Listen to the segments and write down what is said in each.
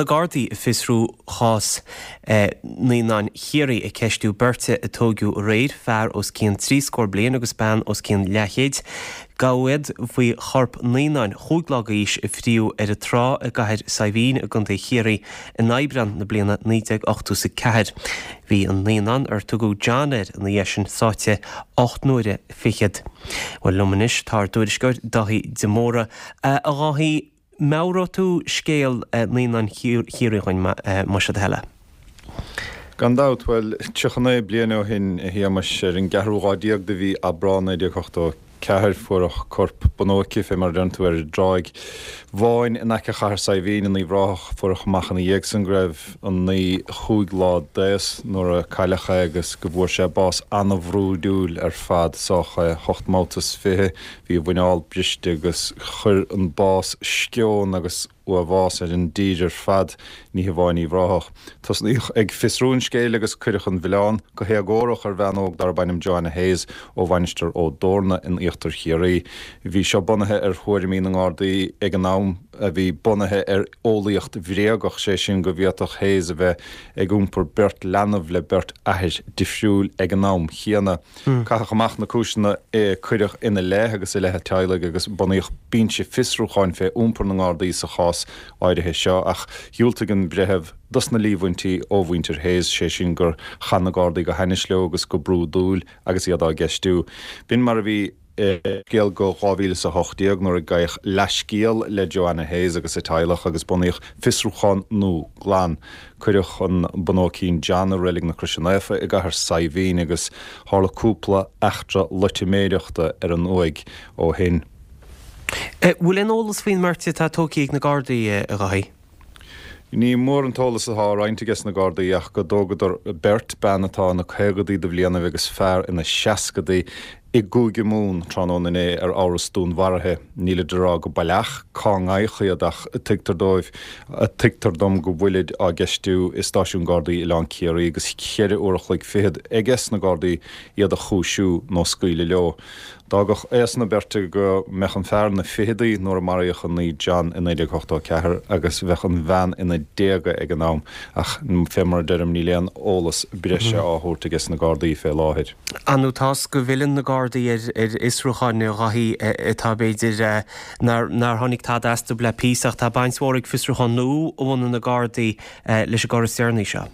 na Gardaí ag fiosrú chás naíonáin Chiarraí ag ceistiú beirte a tóigeadh aréir, fear os cionn trí scór bliain agus bean os cionn leathchéid. Gabhadh iad faoi chorp naíonáin chúig lá d'aois a fríodh ar an trá i gCathair Saidhbhín i gContae Chiarraí in Aibreán na bliana 1984. Bhí an naíonán, ar tugadh John air ina dhiaidh sin, sáite 8 n-uaire fichead. Bhuel, liom anois tá ár dtuairisceoir Dáithí de Mórdha. A Dháithí, meabhróidh tú scéal naíonáin Chiarraí dhuinn, más é do thoil é. Gan dabht. Bhuel, 39 bliain ó shin, a Shéamais, ar an gceathrú lá déag de mhí Aibreán 1984, fuaireadh corp bunóice, fé mar a deireann tú, ar an dTráigh Bháin in aice Chathair Saidhbhín in Uíbh Ráthach. Fuaireadh amach ina dhiaidh san go raibh an naí chúig lá d'aos nuair a cailleadh é agus go bhfuair sé bás ana-bhrúidiúil ar fad, sádh é hocht mbabhta is fiche, Bhí a mhuineál briste agus chuir an bás sceon agus uathbhás ar an dtír ar fad, ní hamháin Uíbh Ráthach. Tosnaíodh ag fiosrú an scéil agus cuireadh an mhilleán, go héagórach, ar bhean óg darb ainm Joanna Hayes ó Mhainistir Ó dTorna in Íochtar Chiarraí. Bhí seo bunaithe ar thuairimí na nGardaí ag an am a bhí bunaithe ar eolaíocht bhréagach, sé sin go bhféadfadh Hayes a bheith ag iompar beirt leanbh le beirt athair difriúil ag an am chéanna. Caitheadh amach na cúiseanna a cuireadh ina leith agus i leith a teaghlaigh agus bunaíodh binse fiosrúcháin fé iompar na nGardaí sa chás áirithe seo ach dhiúltaigh an breitheamh dos na líomhaintí ó mhuintir Hayes, sé sin gur chaith na Gardaí go hainnis leo agus go brúidiúil agus iad á gceistiú. B'in mar a bhí. scéal go 2018 nuair a gabhadh leathscéal le Joanna Hayes agus a teaghlach agus bunaíodh fiosrúchán nua glan. Cuireadh an bunóicín John i Reilig na Croise Naofa i gCathair Saidhbhín agus tharla cúpla eachtra loitiméireachta ar an uaigh ó shin. Bhfuil aon eolas faoin mbeirt atá tógtha ag na Gardaí, a Dháithí? Ní mór an t-eolas atá á roinnt aige sna Gardaí ach go dtógadar beirt, bean atá ina caogadaí de bhlianaibh agus fear ina seascadaí, i gCúige Mumhan tráthnóna inné ar amhras dúnmharaithe. Nílid ag rá go baileach cá ngabhadh iad ach tuigtear dóibh, tuigtear dom go bhfuilid á gceistiú i stáisiún Gardaí Oileán Ciarraí agus cheithre uair a chloig fichead aige sna Gardaí iad a chúisiú nó scaoileadh leo. D'fhágfadh aos na beirte go mbeadh an fear ina ficheadaí nuair a maraíodh an naí John i 1984 agus bheadh an bhean ina déaga ag an am ach fé mar a deirim níl aon eolas breise á thabhairt aige sna Gardaí fé láthair. Ar ndóigh tá 's go bhfilleann na Gardaí ar fhiosrúcháin a Dháithí atá b'fhéidir nár tháinig tada astu le píosa ach tá baint mhór ag fiosrúchán nua a bhunaigh na Gardaí leis an gcor is deireanaí seo.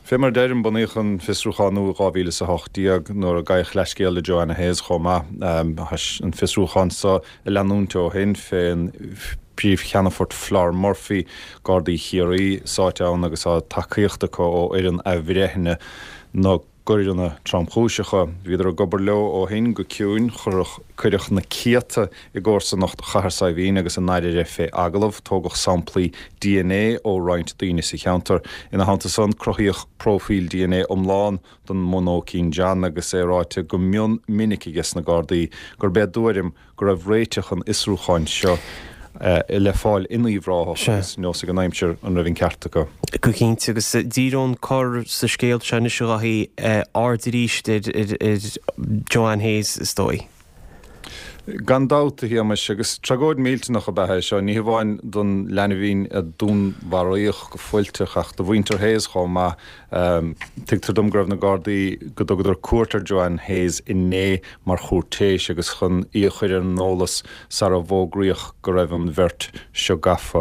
Fé mar a deirim, bunaíodh an fiosrúchán nua i 2018 nuair a gabhadh leathscéal le Joanna Hayes chomh maith. Tá an fiosrúchán seo ag leanúint ó shin fén bPríomh-Cheannfort Flor Murphy, Gardaí Chiarraí, sáite ann agus tá tacaíocht acu ó fhoireann athbhreithnithe na gcoireanna tromchúiseacha. Bhíodar ag obair leo ó shin go ciúin. Cuireadh na céadta i gcomharsanacht Chathair Saidhbhín agus an Oirthir fé agallamh. Tógadh samplaí dna ó roinnt daoine sa cheantar. Ina theannta san, cruthaíodh próifíl dna iomlán don mbunóicín John agus é ráite go mion minic aige sna Gardaí gurb é a dtuairim go raibh réiteach an fhiosrúcháin seo le fáil in Uíbh Ráthach agus nós ag an aimsir an raibh an ceart acu. Go cinnte, agus díreoidh an cor sa scéal seo anois a Dháithí, aird arís ar Joanne Hayes is dóigh. Gan dabht, a Shéamais, agus tragóid mhillteanach ab ea é seo, ní hamháin don leanbhín a dúnmharaíodh go fuilteach ach do mhuintir Hayes chomh maith. Tuigtear dom go raibh na Gardaí, go dtugadar cuairt ar Joanne Hayes inné mar chúirtéis agus chun í a chur ar an eolas sara bhfógraíodh go raibh an bheirt seo gafa.